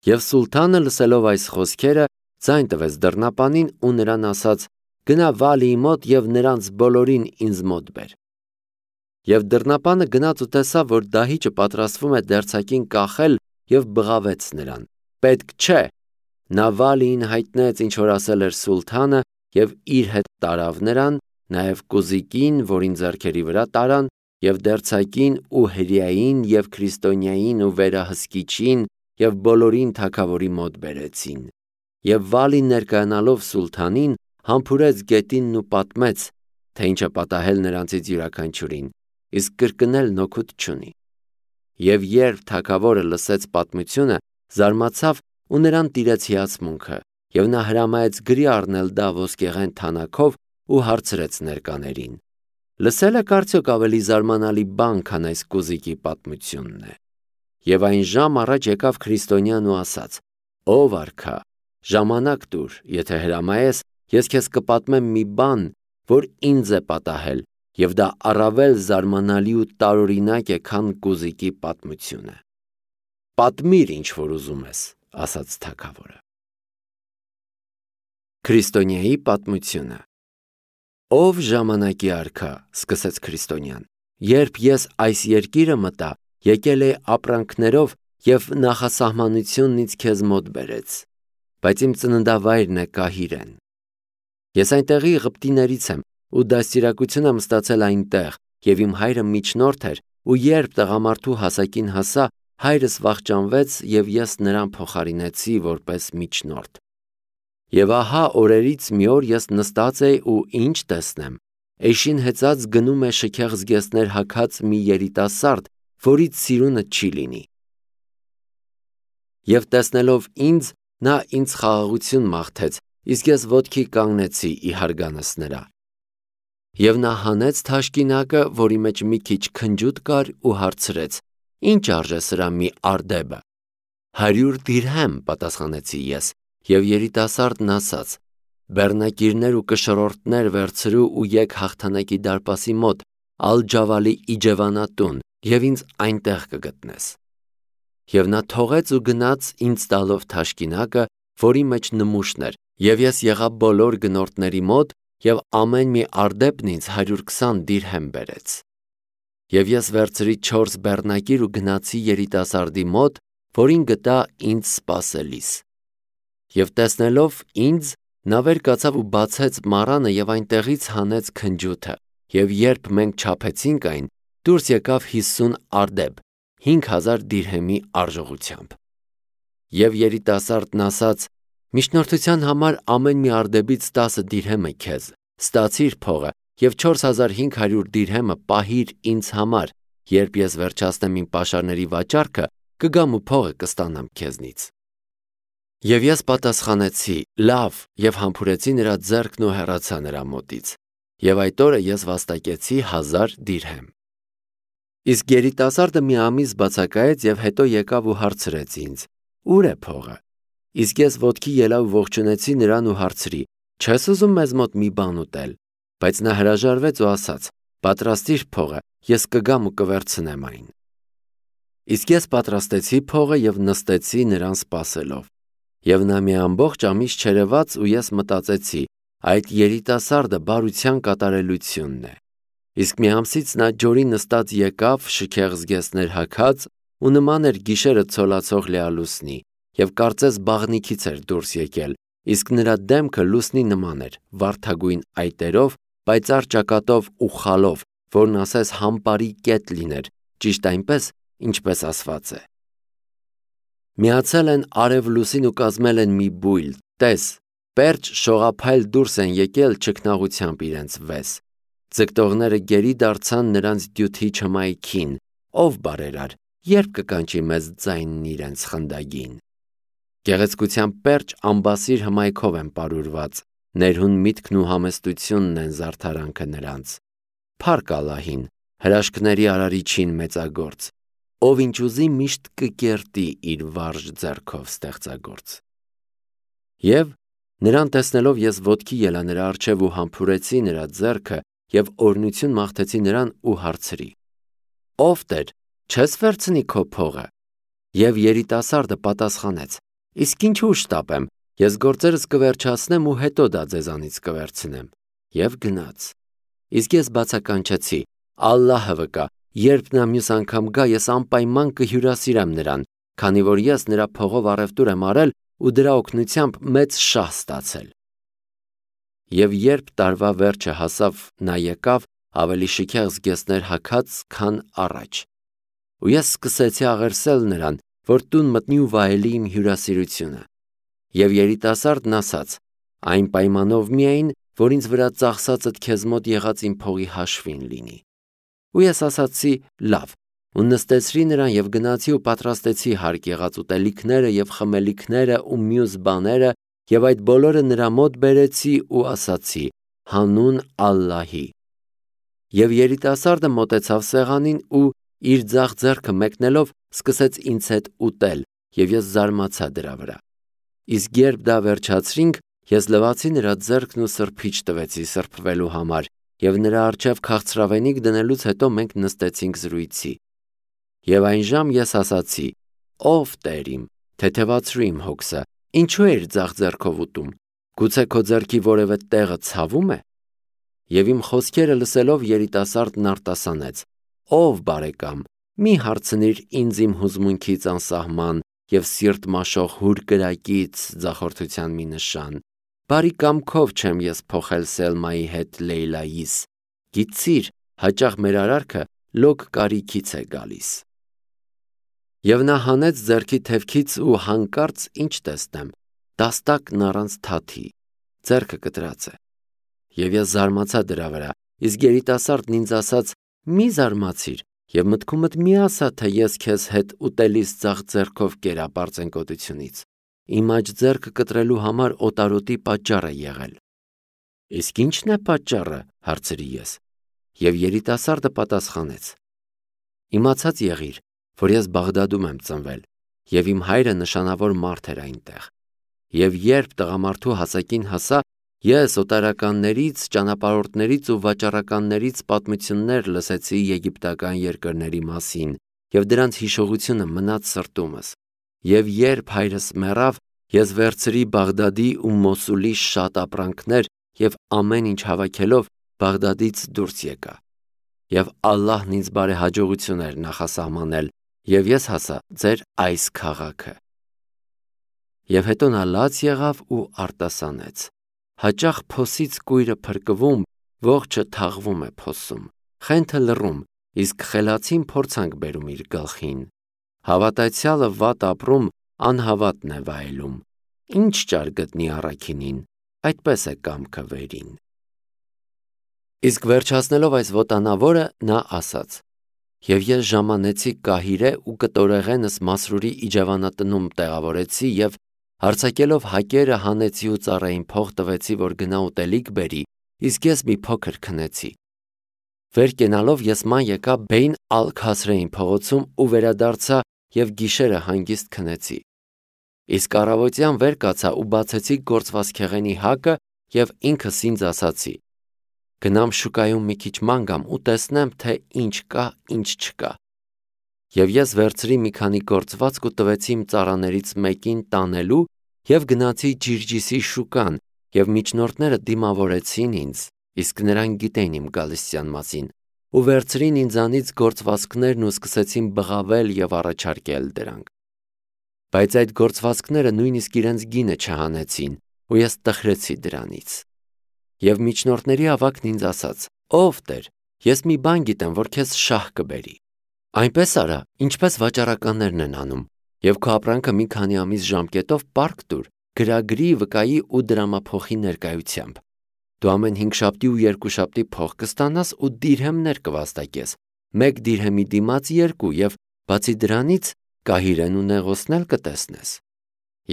Եվ սուլթանը լսելով այս խոսքերը ձայն տվեց դռնապանին ու նրան ասաց. «Գնա Վալիի մոտ և նրանց բոլորին ինձ մոտ բեր»։ Եվ դռնապանը գնաց ու տեսավ, որ դահիճը պատրաստվում է դերձակին կախել և բղավեց նրան. «Պետք չէ»։ Նա Վալիին հայտնեց, ինչ որ ասել էր սուլթանը, և իր հետ տարավ նրան, նաև կուզիկին, որին ձեռքերի վրա տարան, և դերձակին ու հրեային, և քրիստոնյային ու վերահսկիչին, և բոլորին թագավորի մոտ բերեցին։ Եվ Վալին ներկայանալով սուլթանին, համբուրեց գետինն ու պատմեց, թե ինչ է պատահել նրանցից յուրաքանչյուրին, իսկ կրկնելն օգուտ չունի։ Եվ երբ թագավորը լսեց պատմությունը, զարմացավ ու նրան տիրեց հիացմունքը, և նա հրամայեց գրի առնել դա ոսկեղեն թանաքով ու հարցրեց ներկաներին. «Լսել եք արդյոք ավելի զարմանալի բան, քան այս կուզիկի պատմությունն է»։ Եվ այն ժամ առաջ եկավ քրիստոնյան ու ասաց. «Ով արքա, ժամանակ տուր, եթե հրամայես, ես քեզ կպատմեմ մի բան, որ ինձ է պատահել, և դա առավել զարմանալի ու տարօրինակ է, քան կուզիկի պատմությունը»։ «Պատմիր, ինչ որ ուզում ես», ասաց թագավորը։ Քրիստոնյայի պատմությունը։ «Ով ժամանակի արքա», սկսեց քրիստոնյան, «երբ ես այս երկիրը մտա, եկել էի ապրանքներով և նախասահմանությունն ինձ քեզ մոտ բերեց, բայց իմ ծննդավայրն է Կահիրեն։ Ես այնտեղի Եգիպտիներից եմ ու դաստիարակություն եմ ստացել այնտեղ, և իմ հայրը միջնորդ էր, ու երբ տղամարդու հասակին հասա, հայրս վախճանվեց, և ես նրան փոխարինեցի որպես միջնորդ։ Եվ ահա օրերից մի օր ես նստած էի ու ինչ տեսնեմ, էշին հեծած գնում է շքեղ զգեստներ հագած մի երիտասարդ, որից սիրունը չի լինի։ Եվ տեսնելով ինձ, նա ինձ խաղաղություն մաղթեց, իսկ ես ոտքի կանգնեցի ի հարգանս նրա։ Եվ նա հանեց թաշկինակը, որի մեջ մի քիչ քնջութ կար, ու հարցրեց. «Ինչ արժե սրա մի արդեբը»։ 100 դիրհեմ, պատասխանեցի ես, և երիտասարդն ասաց. «Բեռնակիրներ ու կշռորդներ վերցրու ու եկ հաղթանակի դարպասի մոտ, Ալ-Ջավալի իջևանատուն, և ինձ այնտեղ կգտնես»։ Եվ նա թողեց ու գնաց, ինձ տալով թաշկինակը, որի մեջ նմուշն էր, և ես եղա բոլոր գնորդների մոտ, և ամեն մի արդեբն ինձ 120 դիրհեմ բերեց։ Եվ ես վերցրի 4 բեռնակիր ու գնացի երիտասարդի մոտ, որին գտա ինձ սպասելիս։ Եվ տեսնելով ինձ, նա վեր կացավ ու բացեց մառանը և այնտեղից հանեց քնջութը, և երբ մենք չափեցինք այն, դուրս եկավ 50 արդեբ, 5000 դիրհեմի արժողությամբ։ Եվ երիտասարդն ասաց. «Միջնորդության համար ամեն մի արդեբից 10 դիրհեմ է քեզ, ստացիր փողը և 4500 դիրհեմը պահիր ինձ համար, երբ ես վերջացնեմ իմ պաշարների վաճառքը, կգամ ու փողը կստանամ քեզնից»։ Եվ ես պատասխանեցի. «Լավ», և համբուրեցի նրա ձեռքն ու հեռացա նրա մոտից, և այդ օրը ես վաստակեցի 1000 դիրհեմ։ Իսկ երիտասարդը մի ամիս բացակայեց և հետո եկավ ու հարցրեց ինձ. «Ո՞ւր է փողը»։ Իսկ ես ոտքի ելա ու ողջունեցի նրան ու հարցրի. «Չես ուզում մեզ մոտ մի բան ուտել»։ Բայց նա հրաժարվեց ու ասաց. «Պատրաստիր փողը, ես կգամ ու կվերցնեմ այն»։ Իսկ ես պատրաստեցի փողը և նստեցի նրան սպասելով։ Եվ նա մի ամբողջ ամիս չերևաց, ու ես մտածեցի. այդ երիտասարդը բարության կատարելությունն է։ Իսկ մի ամսից նա ջորի նստած եկավ, շքեղ զգեստներ հագած, ու նման էր գիշերը ցոլացող լիալուսնի, և կարծես բաղնիքից էր դուրս եկել, իսկ նրա դեմքը լուսնի նման էր, վարդագույն այտերով, պայծառ ճակատով ու խալով, որն ասես համպարի կետ լիներ, ճիշտ այնպես, ինչպես ասված է. Միացել են արև լուսին ու կազմել են մի բույլ, տես, պերճ շողափայլ դուրս են եկել չքնաղությամբ իրենց վես, ձգտողները գերի դարձան նրանց դյութի չմայքին, ով բարերար, երբ կկանչի մեզ ձայնն իրենց խնդագին։ Գեղեցկության պերճ ամբասիր հմայքով են պարուրված, ներհուն միտքն ու համեստությունն են զարդարանքը նրանց։ Փառք Ալլահին, հրաշքների արարիչին մեծագործ, ով ինչ ուզի միշտ կկերտի իր վարժ ձեռքով ստեղծագործ։ Եվ նրան տեսնելով ես ոտքի ելա նրա առջև ու համբուրեցի նրա ձեռքը և օրհնություն մաղթեցի նրան ու հարցրի. «Ով Տեր, չես վերցնի քո փողը»։ Եվ երիտասարդը պատասխանեց. Իսկ ինչու շտապեմ, ես գործերս կվերջացնեմ ու հետո դա ձեզանից կվերցնեմ։ Եվ գնաց։ Իսկ ես բացականչեցի. Ալլահը վկա, երբ նա մյուս անգամ գա, ես անպայման կհյուրասիրեմ նրան, քանի որ ես նրա փողով առևտուր եմ արել ու դրա օգնությամբ մեծ շահ ստացել։ Եվ երբ տարվա վերջը հասավ, նա եկավ ավելի շքեղ զգեստներ հագած, քան առաջ։ Ու ես սկսեցի աղերսել նրան, որ տուն մտնի ու վայելի իմ հյուրասիրությունը։ Եվ երիտասարդն ասաց. այն պայմանով միայն, որ ինձ վրա ծախսածդ քեզ մոտ եղած իմ փողի հաշվին լինի։ Ու ես ասացի. լավ, ու նստեցրի նրան եւ գնացի ու պատրաստեցի հարկ եղած ուտելիքները եւ խմելիքները ու մյուս բաները եւ այդ բոլորը նրա մոտ բերեցի ու ասացի. հանուն Ալլահի։ Եվ երիտասարդը մոտեցավ սեղանին ու իր ձախ ձեռքը մեկնելով սկսեց ինձ հետ ուտել եւ ես զարմացա դրա վրա։ Իսկ երբ դա վերջացրինք, ես լվացի նրա ձեռքն ու սրբիչ տվեցի սրբվելու համար եւ նրա առջև քաղցրավենիք դնելուց հետո մենք նստեցինք զրույցի։ Եվ այն ժամ ես ասացի. ով Տեր իմ, թեթևացրու իմ հոգսը, ինչու էիր ձախ ձեռքով ուտում, գուցե քո ձեռքի որևէ տեղը ցավում է։ Եվ իմ խոսքերը լսելով երիտասարդն արտասանեց. ով բարեկամ, մի հարցնիր ինձ իմ հուզմունքից անսահման եւ սիրտ մաշող հուր կրակից ձախորդության մի նշան։ Բարի կամքով չեմ ես փոխել Սելմայի հետ Լեյլայիս։ Գիտցիր, հաճախ մեր արարքը լոկ կարիքից է գալիս։ Եվ նա հանեց ձեռքի թևքից ու հանկարծ ինչ տեսնեմ, դաստակն առանց թաթի, ձեռքը կտրած է։ Եվ ես զարմացա դրա վրա, իսկ երիտասարդն ինձ ասաց. մի զարմացիր եւ մտքումդ մի ասա, թե ես քեզ հետ ուտելիս ձախ ձեռքով կերապարծենկոտությունից։ Իմ աջ ձեռքը կտրելու համար օտարոտի պատճառ է եղել։ Իսկ ի՞նչն է պատճառը, հարցրի ես։ Եվ երիտասարդը պատասխանեց. իմացած եղիր, որ ես Բաղդադում եմ ծնվել, եւ իմ հայրը նշանավոր մարդ էր այնտեղ։ Եվ երբ տղամարդու հասակին հասա, ես օտարականներից, ճանապարհորդներից ու վաճառականներից պատմություններ լսեցի եգիպտական երկրների մասին, եւ դրանց հիշողությունը մնաց սրտումս։ Եվ երբ հայրս մեռավ, ես վերցրի Բաղդադի ու Մոսուլի շատ ապրանքներ եւ ամեն ինչ հավաքելով Բաղդադից դուրս եկա։ Եվ Ալլահն ինձ բարեհաջողություն էր նախասահմանել, եւ ես հասա ձեր այս քաղաքը։ Եվ հետո նա լաց եղավ ու արտասանեց. հաճախ փոսից կույրը փրկվում, ողջը թաղվում է փոսում, խենթը լռում, իսկ խելացին փորձանք բերում իր գլխին։ Հավատացյալը վատ ապրում, անհավատն է վայելում։ Ինչ ճար գտնի առաքինին, այդպես է կամքը վերին։ Իսկ վերջացնելով այս ոտանավորը, նա ասաց. Եվ ես ժամանեցի Կահիրե ու կտորեղենս Մասրուրի իջևանատնում տեղավորեցի եւ հարցակելով հակերը հանեցի ու ծառային փող տվեցի, որ գնա ուտելիք բերի, իսկ ես մի փոքր քնեցի։ Վեր կենալով ես ման եկա Բեյն ալ-Քասրեին փողոցում ու վերադարձա եւ գիշերը հանգիստ քնեցի։ Իսկ առավոտյան վեր կացա ու բացեցի գործվածքեղենի հակը եւ ինքս ինձ ասացի. գնամ շուկայում մի քիչ ման գամ ու տեսնեմ, թե ինչ կա, ինչ չկա։ Եվ ես վերցրի մի քանի գործվածք ու տվեցի իմ ծառաներից մեկին տանելու եւ գնացի Ջիրջիսի շուկան եւ միջնորդները դիմավորեցին ինձ, իսկ նրանք գիտեին իմ գալստյան մասին ու վերցրին ինձանից գործվածքներն ու սկսեցին բղավել եւ առաջարկել դրանք։ Բայց այդ գործվածքները նույնիսկ իրենց գինը չհանեցին ու ես տխրեցի դրանից։ Եվ միջնորդների ավագն ինձ ասաց. ով Տեր, ես մի բան գիտեմ, որ քեզ շահ կբերի։ Այնպես արա, ինչպես վաճառականներն են անում, եւ քո ապրանքը մի քանի ամիս ժամկետով պարկ տուր, գրագրի, վկայի ու դրամափոխի ներկայությամբ։ Դու ամեն 5 շաբթի ու 2 շաբթի փող կստանաս ու դիրհեմներ կվաստակես, 1 դիրհեմի դիմաց 2 եւ բացի դրանից Կահիրեն ու Նեղոսն էլ կտեսնես։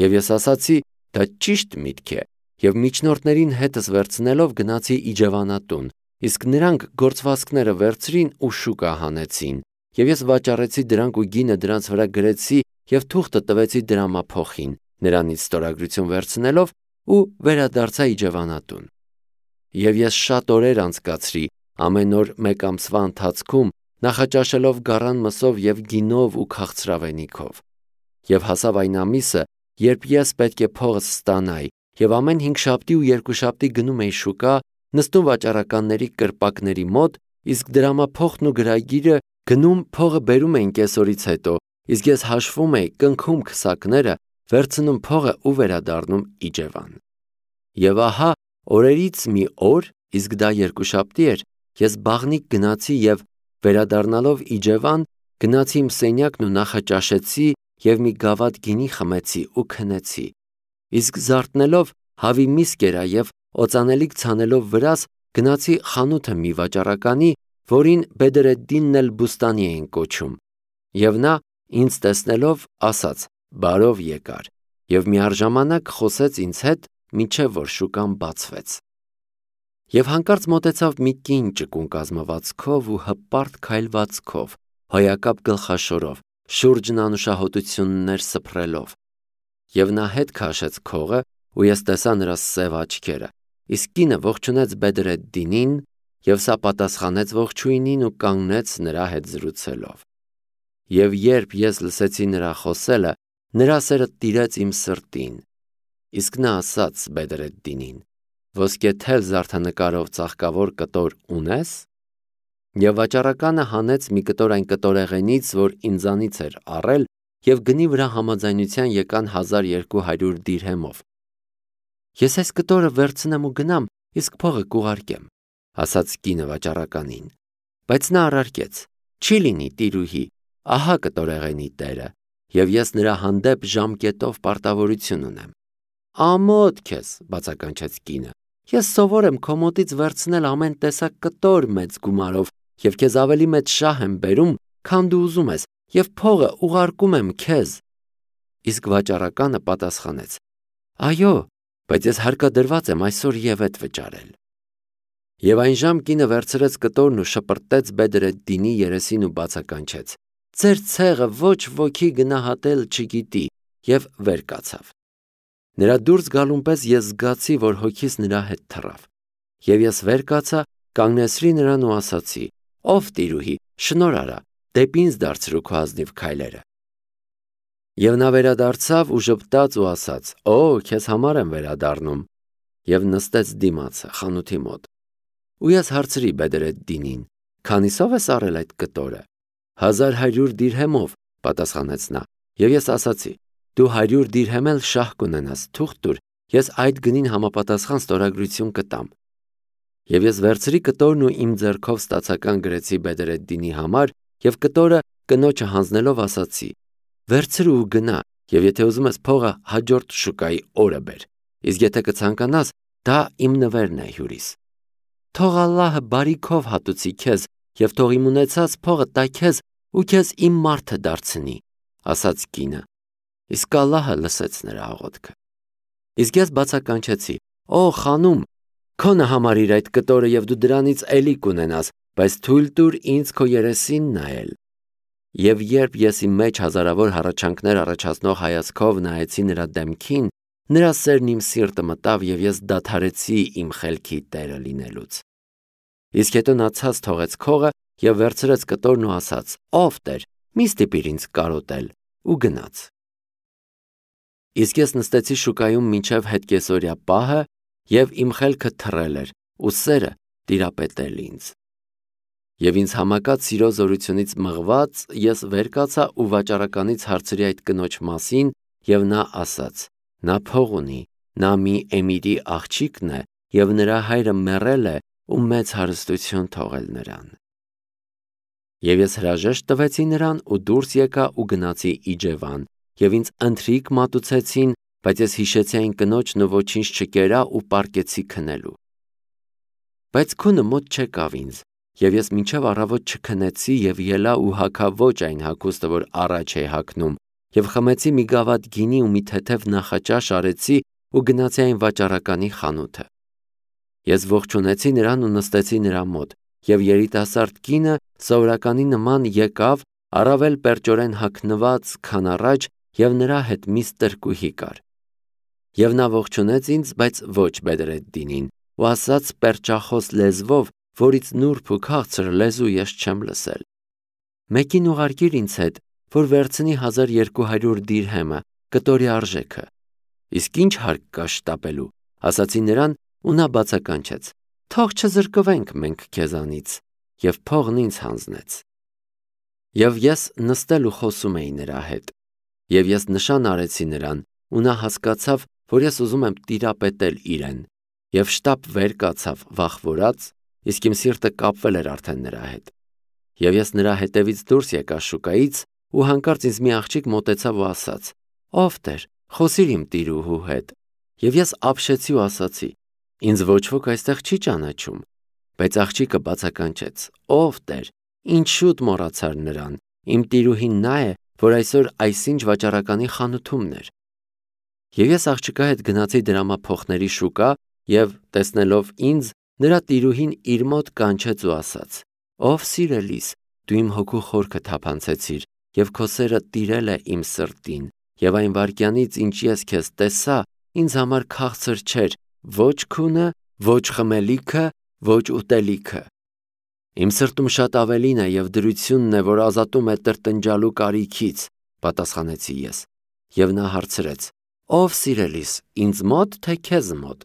Եվ ես ասացի, դա ճիշտ միտք է, եւ միջնորդներին հետս վերցնելով գնացի իջևանատուն, իսկ նրանք գործվածքները վերցրին ու շուկա հանեցին, եւ ես վաճառեցի դրանք ու գինը դրանց վրա գրեցի եւ թուղթը տվեցի դրամափոխին, նրանից ստորագրություն վերցնելով ու վերադարձա իջևանատուն։ Եվ ես շատ օրեր անցկացրի, ամեն օր 1 ամսվա ընթացքում նախաճաշելով գառան մսով եւ գինով ու քաղցրավենիքով։ Եվ հասավ այն ամիսը, երբ ես պետք է փողս ստանայի, եւ ամեն 5 շաբթի ու 2 շաբթի գնում էի շուկա, նստում վաճառականների կրպակների մոտ, իսկ դրամափոխն ու գրագիրը գնում փողը բերում էին կեսօրից հետո, իսկ ես հաշվում էի, կնքում քսակները, վերցնում փողը ու վերադառնում Իջևան։ Եվ ահա օրերից մի օր, իսկ դա 2 շաբթի էր, ես բաղնիկ գնացի եւ վերադառնալով Իջևան, գնացի իմ սենյակն ու նախաճաշեցի եւ մի գավաթ գինի խմեցի ու քնեցի։ Իսկ զարթնելով հավի միս կերա եւ օծանելիք ցանելով վրաս գնացի խանութը մի վաճառականի, որին Բեդրեդդինն էլ Բուստանի էին կոչում։ Եվ նա ինձ տեսնելով ասաց. «Բարով եկար» եւ միառժամանակ խոսեց ինձ հետ, մինչև որ շուկան բացվեց։ Եվ հանկարծ մոտեցավ մի կին ճկուն կազմվածքով ու հպարտ քայլվածքով, հոյակապ գլխաշորով, շուրջն անուշահոտություններ սփռելով։ Եվ նա հետ քաշեց քողը, ու ես տեսա նրա սև աչքերը, իսկ կինը ողջունեց Բեդրեդդինին, եւ սա պատասխանեց ողջույնին ու կանգնեց նրա հետ զրուցելով։ Եվ երբ ես լսեցի նրա խոսելը, նրա սերը տիրեց իմ սրտին։ Իսկ նա ասաց Բեդրեդդինին. «Ոսկե թել զարդանկարով ծաղկավոր կտոր ունես»։ Եվ վաճառականը հանեց մի կտոր այն կտորեղենից, որ ինձանից էր առել, եւ գնի վրա համաձայնության եկան 1200 դիրհեմով։ «Ես այս կտորը վերցնեմ ու գնամ, իսկ փողը կուղարկեմ», ասաց կինը վաճառականին։ Բայց նա առարկեց. «Չի լինի, տիրուհի, ահա կտորեղենի տերը, եւ ես նրա հանդեպ ժամկետով պարտավորություն ունեմ»։ «Ամոթ քեզ», բացականչեց կինը, «ես սովոր եմ քո մոտից վերցնել ամեն տեսակ կտոր մեծ գումարով եւ քեզ ավելի մեծ շահ եմ բերում, քան դու ուզում ես, եւ փողը ուղարկում եմ քեզ»։ Իսկ վաճառականը պատասխանեց. «Այո, բայց ես հարկադրված եմ այսօր ևեթ վճարել»։ Եվ այնժամ կինը վերցրեց կտորն ու շպրտեց Բեդրեդդինի երեսին ու բացականչեց. «Ձեր ցեղը ոչ ոքի գնահատել չգիտի», եւ վեր կացավ։ Նրա դուրս գալուն պես ես զգացի, որ հոգիս նրա հետ թռավ։ Եվ ես վեր կացա, կանգնեցրի նրան ու ասացի. «Ով տիրուհի, շնորհ արա, դեպի ինձ դարձրու քո ազնիվ քայլերը»։ Եվ նա վերադարձավ ու ժպտաց ու ասաց. «Օ, քեզ համար եմ վերադառնում», եւ նստեց դիմացը խանութի մոտ։ Ու ես հարցրի Բեդրեդդինին. «Քանիսով ես առել այդ կտորը»։ 1100 դիրհեմով, պատասխանեց նա։ Եվ ես ասացի. «Դու 100 դիրհեմ էլ շահ կունենաս, թուղթ տուր, ես այդ գնին համապատասխան ստորագրություն կտամ»։ Եվ ես վերցրի կտորն ու իմ ձեռքով ստացական գրեցի Բեդրեդդինի համար եւ կտորը կնոջը հանձնելով ասացի. «Վերցրու ու գնա, եւ եթե ուզում ես փողը հաջորդ շուկայի օրը բեր, իսկ եթե կցանկանաս, դա իմ նվերն է հյուրիս»։ «Թող Ալլահը բարիքով հատուցի քեզ եւ թող իմ ունեցած փողը տա քեզ ու քեզ իմ մարդը դարձնի», ասաց կինը։ Իսկ Ալլահը լսեց նրա աղոթքը։ Իսկ ես բացականչեցի. «Օ, խանում, քոնը համարիր այդ կտորը եւ դու դրանից էլի կունենաս, բայց թույլ տուր ինձ քո երեսին նայել»։ Եվ երբ ես իմ մեջ հազարավոր հառաչանքներ առաջացնող հայացքով նայեցի նրա դեմքին, նրա սերն իմ սիրտը մտավ եւ ես դադարեցի իմ խելքի տերը լինելուց։ Իսկ հետո նա ցած թողեց քողը եւ վերցրեց կտորն ու ասաց. «Ով Տեր, մի ստիպիր ինձ կարոտել» ու գնաց։ Իսկ ես նստեցի շուկայում մինչև հետկեսօրյա պահը եւ իմ խելքը թռել էր ու սերը տիրապետել ինձ։ Եվ ինձ համակած սիրո զորությունից մղված ես վեր կացա ու վաճառականից հարցրի այդ կնոջ մասին եւ նա ասաց. «Նա փող ունի, նա մի էմիրի աղջիկն է եւ նրա հայրը մեռել է ու մեծ հարստություն թողել նրան»։ Եվ ես հրաժեշտ տվեցի նրան ու դուրս եկա ու գնացի Իջևան եւ ինձ ընթրիք մատուցեցին, բայց ես հիշեցի այն կնոջն ու ոչինչ չկերա ու պառկեցի քնելու։ Բայց քունը մոտ չեկավ ինձ, եւ ես մինչև առավոտ չքնեցի եւ ելա ու հագա ոչ այն հագուստը, որ առաջ էի հագնում, եւ խմեցի մի գավաթ գինի ու մի թեթև նախաճաշ արեցի ու գնացի այն վաճառականի խանութը։ Ես ողջունեցի նրան ու նստեցի նրա մոտ, եւ երիտասարդ կինը սովորականի նման եկավ, առավել պերճորեն հագնված, քան առաջ, եւ նրա հետ մի ստրկուհի կար։ Եվ նա ողջունեց ինձ, բայց ոչ Բեդրեդդինին, ու ասաց պերճախոս լեզվով, որից նուրբ ու քաղցր լեզու ես չեմ լսել. «Մեկին ուղարկիր ինձ հետ, որ վերցնի 1200 դիրհեմը, կտորի արժեքը։ Իսկ ինչ հարկ կա շտապելու, ասացի նրան, ու նա բացականչեց. թող չզրկվենք մենք քեզանից, եւ փողն ինձ հանձնեց։ Եվ ես նստել ու խոսում էի նրա հետ, եւ ես նշան արեցի նրան, ու նա հասկացավ, որ ես ուզում եմ տիրապետել իրեն, եւ շտապ վեր կացավ վախվորած, իսկ իմ սիրտը կապվել էր արդեն նրա հետ։ Եվ ես նրա հետևից դուրս եկա շուկայից, ու հանկարծ ինձ մի աղջիկ մոտեցավ ու ասաց. «Ով Տեր, խոսիր իմ տիրուհու հետ»։ Եվ ես ապշեցի ու ասացի. «Ինձ ոչ ոք այստեղ չի ճանաչում»։ Բայց աղջիկը բացականչեց. «Ով Տեր, ինչ շուտ մոռացար նրան, իմ տիրուհին նա է, որ այսօր այսինչ վաճառականի խանութումն էր»։ Եվ ես աղջկա հետ գնացի դրամափոխների շուկա, եւ տեսնելով ինձ, նրա տիրուհին իր մոտ կանչեց ու ասաց. «Ով սիրելիս, դու իմ հոգու խորքը թափանցեցիր, եւ քո սերը տիրել է իմ սրտին, եւ այն վայրկյանից, ինչ ես քեզ տեսա, ինձ համար քաղցր չէր ոչ քունը, ոչ խմելիքը, ոչ ուտելիքը։ Իմ սրտում շատ ավելին է եւ դրությունն է, որ ազատում է տրտնջալու կարիքից», պատասխանեցի ես։ Եվ նա հարցրեց. «Ով սիրելիս, ինձ մոտ, թե քեզ մոտ»։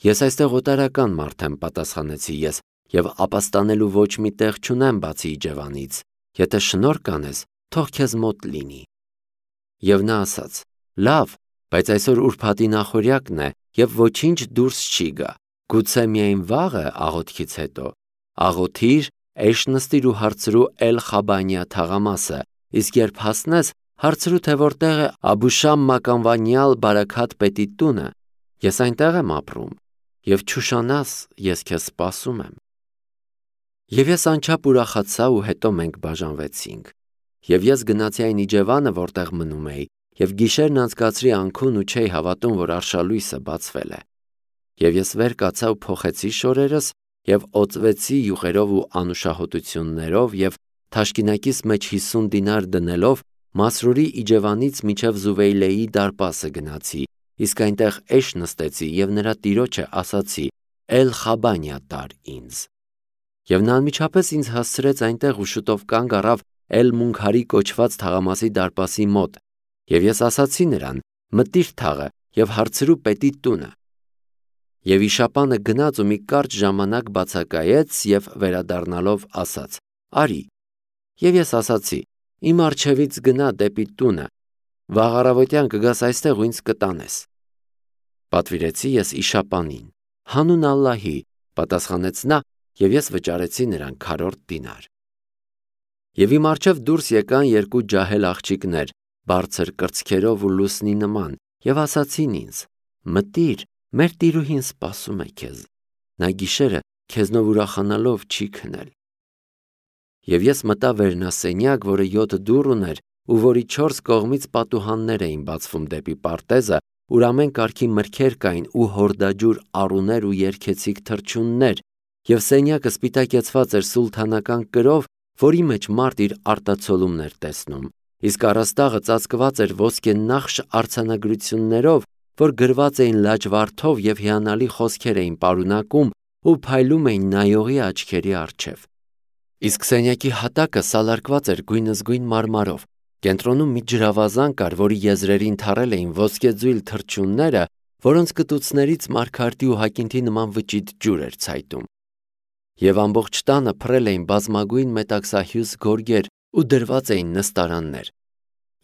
«Ես այստեղ օտարական մարդ եմ», պատասխանեցի ես, եւ ապաստանելու ոչ մի տեղ չունեմ բացի իջևանից։ Եթե շնորհ կանես, թող քեզ մոտ լինի։ Եվ նա ասաց. «Լավ, բայց այսօր ուրբաթի նախօրյակն է, եւ ոչինչ դուրս չի գա։ Գուցե միայն վաղը աղոթքից հետո։ Աղոթիր, էշ նստիր ու հարցրու Էլ-Խաբանիա թաղամասը, իսկ երբ հասնես, հարցրու, թե որտեղ է Աբուշամ մականվանյալ Բարաքաթ պետի տունը։ Ես այնտեղ եմ ապրում, եւ չուշանաս, ես քեզ սպասում եմ»։ Եվ ես անչափ ուրախացա, ու հետո մենք բաժանվեցինք։ Եվ ես գնացի այն իջևանը, որտեղ մնում էի, եւ գիշերն անցկացրի անքուն ու չէի հավատում, որ արշալույսը բացվել է։ Եվ ես վեր կացա ու փոխեցի շորերս, եւ օծվեցի յուղերով ու անուշահոտություններով, եւ թաշկինակիս մեջ 50 դինար դնելով Մասրուրի իջևանից մինչև Զուվեյլեի դարպասը գնացի, իսկ այնտեղ էշ նստեցի եւ նրա տիրոջը ասացի. «Էլ-Խաբանիա տար ինձ»։ Եվ նա անմիջապես ինձ հասցրեց այնտեղ ու շուտով կանգ առավ Էլ-Մունքարի կոչված թաղամասի դարպասի մոտ, եւ ես ասացի նրան. «Մտիր թաղը եւ հարցրու պետի տունը»։ Եվ իշապանը գնաց ու մի կարճ ժամանակ բացակայեց եւ վերադառնալով ասաց. «Արի»։ Եվ ես ասացի. «Իմ առջևից գնա դեպի տունը, վաղ առավոտյան կգաս այստեղ ու ինձ կտանես»։ Պատվիրեցի ես իշապանին։ «Հանուն Ալլահի», պատասխանեց նա, եւ ես վճարեցի նրան քառորդ դինար։ Եվ իմ առջև դուրս եկան երկու ջահել աղջիկներ, բարձր կրծքերով ու լուսնի նման, եւ ասացին ինձ. «Մտիր, մեր տիրուհին սպասում է քեզ, նա գիշերը քեզնով ուրախանալով չի քնել»։ Եվ ես մտա վերնասենյակ, որը 7 դուռ ուներ ու որի 4 կողմից պատուհաններ էին բացվում դեպի պարտեզը, ուր ամեն կարգի մրգեր կային ու հորդաջուր առուներ ու երգեցիկ թռչուններ, եւ սենյակը սպիտակեցված էր սուլթանական կրով, որի մեջ մարդ իր արտացոլումն էր տեսնում, իսկ առաստաղը ծածկված էր ոսկենախշ արձանագրություններով, որ գրված էին լաջվարդով եւ հիանալի խոսքեր էին պարունակում ու փայլում էին նայողի աչքերի առջև։ Իսկ սենյակի հատակը սալարկված էր գույնզգույն մարմարով, կենտրոնում մի ջրավազան կար, որի եզրերին թառել էին ոսկեձույլ թռչունները, որոնց կտուցներից մարգարտի ու հակինթի նման վճիտ ջուր էր ցայտում։ Եվ ամբողջ տանը փռել էին բազմագույն մետաքսահյուս գորգեր ու դրված էին նստարաններ։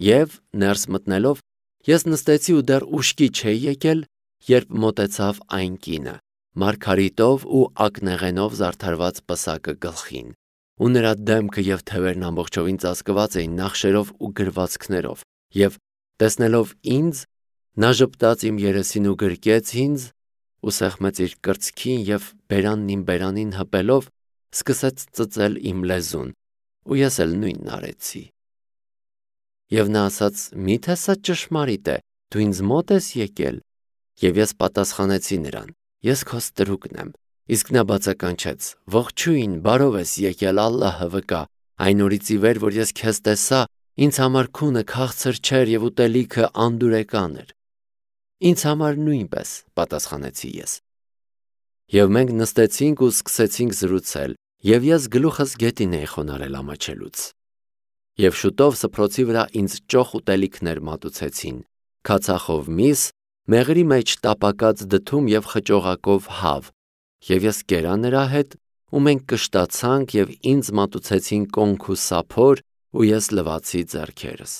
Եվ ներս մտնելով ես նստեցի ու դեռ ուշքի չէի եկել, երբ մոտեցավ այն կինը, մարգարիտով ու ակնեղենով զարդարված պսակը գլխին, ու նրա դեմքը եւ թևերն ամբողջովին ծածկված էին նախշերով ու գրվածքներով, եւ տեսնելով ինձ, նա ժպտաց իմ երեսին ու գրկեց ինձ ու սեղմեց իր կրծքին եւ բերանն իմ բերանին հպելով սկսեց ծծել իմ լեզուն, ու ես էլ նույնն արեցի։ Եվ նա ասաց. «Միթե սա ճշմարիտ է, դու ինձ մոտ ես եկել»։ Եվ ես պատասխանեցի նրան. «Ես քո ստրուկն եմ»։ Իսկ նա բացականչեց. «Ողջույն, բարով ես եկել, Ալլահը վկա, այն օրից ի վեր, որ ես քեզ տեսա, ինձ համար քունը քաղցր չէր եւ ուտելիքը անդուրեկան էր»։ «Ինձ համար նույնպես», պատասխանեցի ես։ Եվ մենք նստեցինք ու սկսեցինք զրուցել, եւ ես գլուխս գետին էի խոնարհել ամաչելուց։ Եվ շուտով սփռոցի վրա ինձ ճոխ ուտելիքներ մատուցեցին, քացախով միս, մեղրի մեջ տապակած դդում և խճողակով հավ, և ես կերա նրա հետ, ու մենք կշտացանք և ինձ մատուցեցին կոնք ու սափոր, ու ես լվացի ձեռքերս։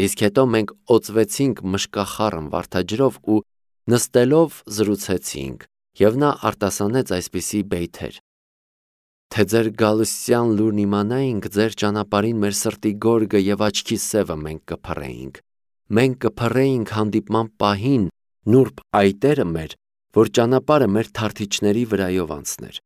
Իսկ հետո մենք օծվեցինք մշկախառն վարդաջրով ու նստելով զրուցեցինք, և նա արտասանեց այսպիսի բեյթեր. թե ձեր գալստյան լուրն իմանայինք, ձեր ճանապարհին մեր սրտի գորգը և աչքի սևը մենք կփռեինք։ Մենք կփռեինք հանդիպման պահին նուրբ այտերը մեր, որ ճանապարհը մեր թարթիչների վրայով անցներ։